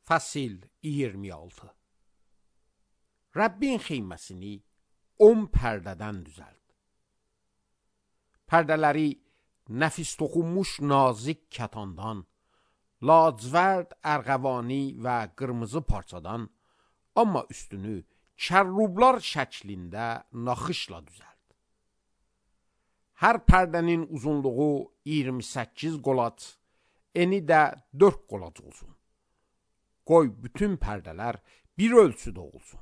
Fəsil 26. Rəbbin xeyməsini 10 pərdədən düzəld. Pərdələri nəfis toxunmuş nazik kətandan, lacivərd, ərğəvani və qırmızı parçadan, amma üstünü kərrublar şəklində naxışla düzəld. Hər pərdənin uzunluğu 28 qolac, eni də 4 qolac olsun. Qoy bütün pərdələr bir ölçüdə olsun.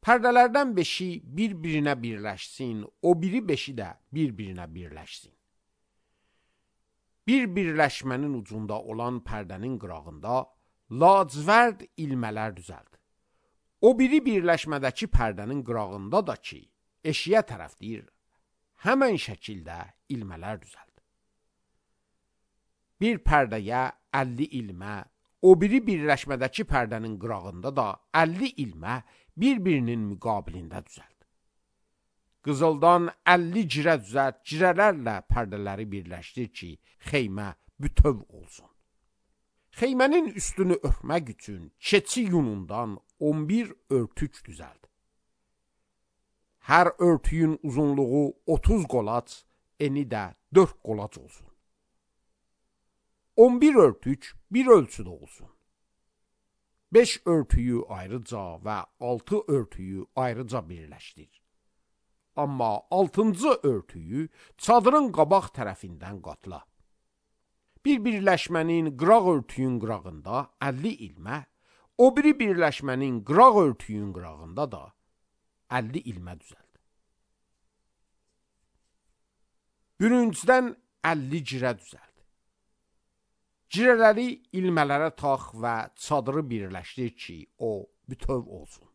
Pərdələrdən 5-i bir-birinə birləşsin, o biri 5-i də bir-birinə birləşsin. Bir birləşmənin ucunda olan pərdənin qırağında lacivərd ilmələr düzəld. O biri birləşmədəki pərdənin qırağında da ki, eşiyə tərəfdir, həmən şəkildə ilmələr düzəld. Bir pərdəyə 50 ilmə, o biri birləşmədəki pərdənin qırağında da 50 ilmə bir-birinin müqabilində düzəld. Qızıldan 50 cirə düzəld, cirələrlə pərdələri birləşdir ki, xeymə bütöv olsun. Xeymənin üstünü örtmək üçün keçi yunundan 11 örtük düzəld. Hər örtüyün uzunluğu 30 qolac, eni də 4 qolac olsun. 11 örtük bir ölçüdə olsun. 5 örtüyü ayrıca və 6 örtüyü ayrıca birləşdir. Amma 6-cı örtüyü çadırın qabaq tərəfindən qatla. Bir birləşmənin qıraq örtüyün qırağında 50 ilmə, o biri birləşmənin qıraq örtüyün qırağında da 50 ilmə düzəld. Bürüncdən 50 cirə düzəld. Cirələri ilmələrə tax və çadırı birləşdir ki, o bütöv olsun.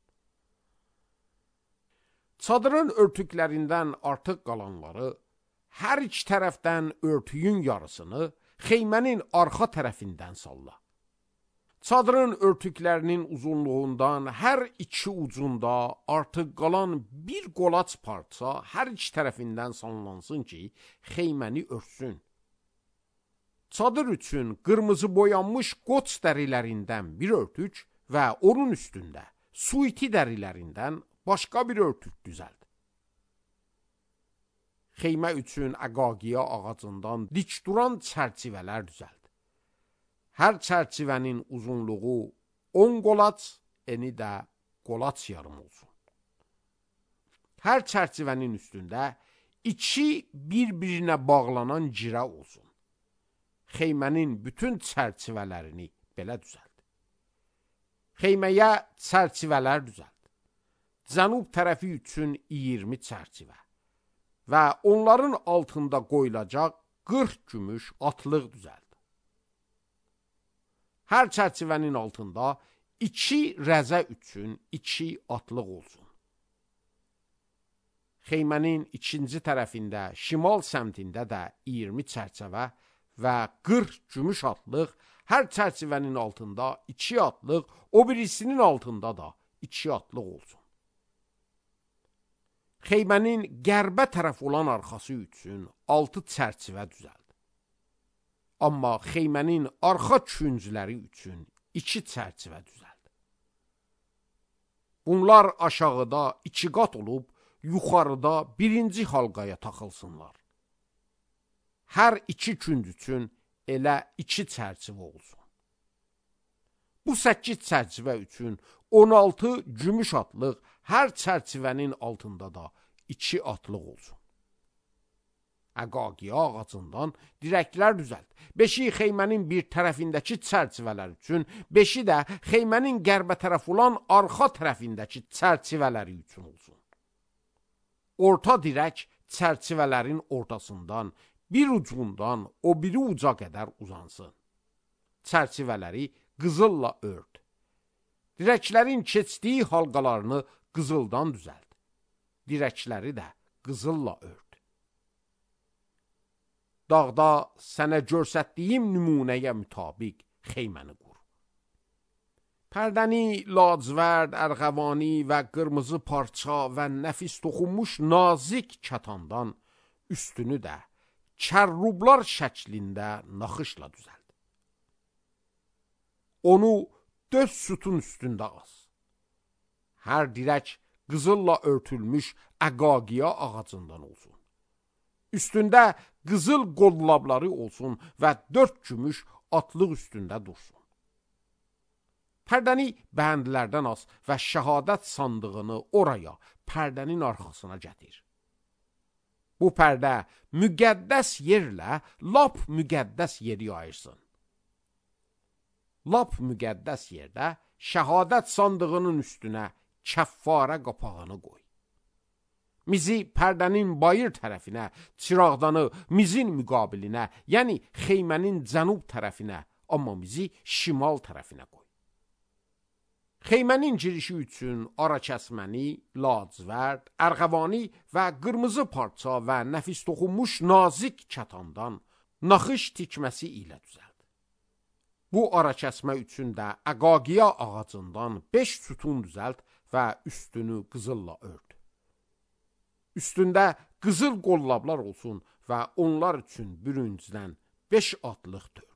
Çadırın örtüklərindən artıq qalanları, hər iki tərəfdən örtüyün yarısını xeymənin arxa tərəfindən salla. Çadırın örtüklərinin uzunluğundan hər iki ucunda artıq qalan bir qolac parça hər iki tərəfindən sallansın ki, xeyməni örtsün. Çadır üçün qırmızı boyanmış qoç dərilərindən bir örtük və onun üstündə suiti dərilərindən başqa bir örtük düzəld. Xeymə üçün əqaqiya ağacından dik duran çərçivələr düzəld. Hər çərçivənin uzunluğu 10 qolac, eni də qolac yarım olsun. Hər çərçivənin üstündə 2 bir-birinə bağlanan cirə olsun. Xeymənin bütün çərçivələrini belə düzəld. Xeyməyə çərçivələr düzəld. Cənub tərəfi üçün 20 çərçivə və onların altında qoyulacaq 40 gümüş atlıq düzəld. Hər çərçivənin altında 2 rəzə üçün 2 atlıq olsun. Xeymənin ikinci tərəfində, şimal səmtində də 20 çərçivə və 40 gümüş atlıq, hər çərçivənin altında 2 atlıq, o birisinin altında da 2 atlıq olsun. Xeymənin qərbə tərəf olan arxası üçün 6 çərçivə düzəld. Amma xeymənin arxa küncləri üçün 2 çərçivə düzəld. Bunlar aşağıda 2 qat olub, yuxarıda birinci halqaya taxılsınlar. Hər 2 künc üçün elə 2 çərçivə olsun. Bu 8 çərçivə üçün 16 gümüş atlıq, hər çərçivənin altında da 2 atlıq olsun. Əqaqiya ağacından dirəklər düzəld. 5-i xeymənin bir tərəfindəki çərçivələr üçün, 5-i də xeymənin qərbə tərəf olan arxa tərəfindəki çərçivələri üçün olsun. Orta dirək çərçivələrin ortasından, bir ucundan o biri uca qədər uzansın. Çərçivələri qızılla ört. Dirəklərin keçdiyi halqalarını qızıldan düzəld. Dirəkləri də qızılla ört. Dağda sənə görsətdiyim nümunəyə mütabiq xeyməni qur. Pərdəni lacivərd, ərğəvani və qırmızı parça və nəfis toxunmuş nazik kətandan, üstünü də kərrublar şəklində naxışla düzəld. Onu 4 sütun üstündə as. Hər dirək qızılla örtülmüş əqaqiya ağacından olsun. Üstündə qızıl qollabları olsun və 4 gümüş atlıq üstündə dursun. Pərdəni bəndlərdən as və şəhadət sandığını oraya, pərdənin arxasına gətir. Bu pərdə müqəddəs yerlə lap müqəddəs yeri ayırsın. Lap müqəddəs yerdə şəhadət sandığının üstünə kəffarə qapağını qoy. Mizi pərdənin bayır tərəfinə, çıraqdanı mizin müqabilinə, yəni xeymənin cənub tərəfinə, amma mizi şimal tərəfinə qoy. Xeymənin girişi üçün ara kəsməni, lacivərd, ərğəvani və qırmızı parça və nəfis toxunmuş nazik kətandan naxış tikməsi ilə düzəld. Bu ara kəsmə üçün də əqaqiya ağacından 5 sütun düzəld və üstünü qızılla ört. Üstündə qızıl qollablar olsun və onlar üçün bürüncdən 5 atlıq tör.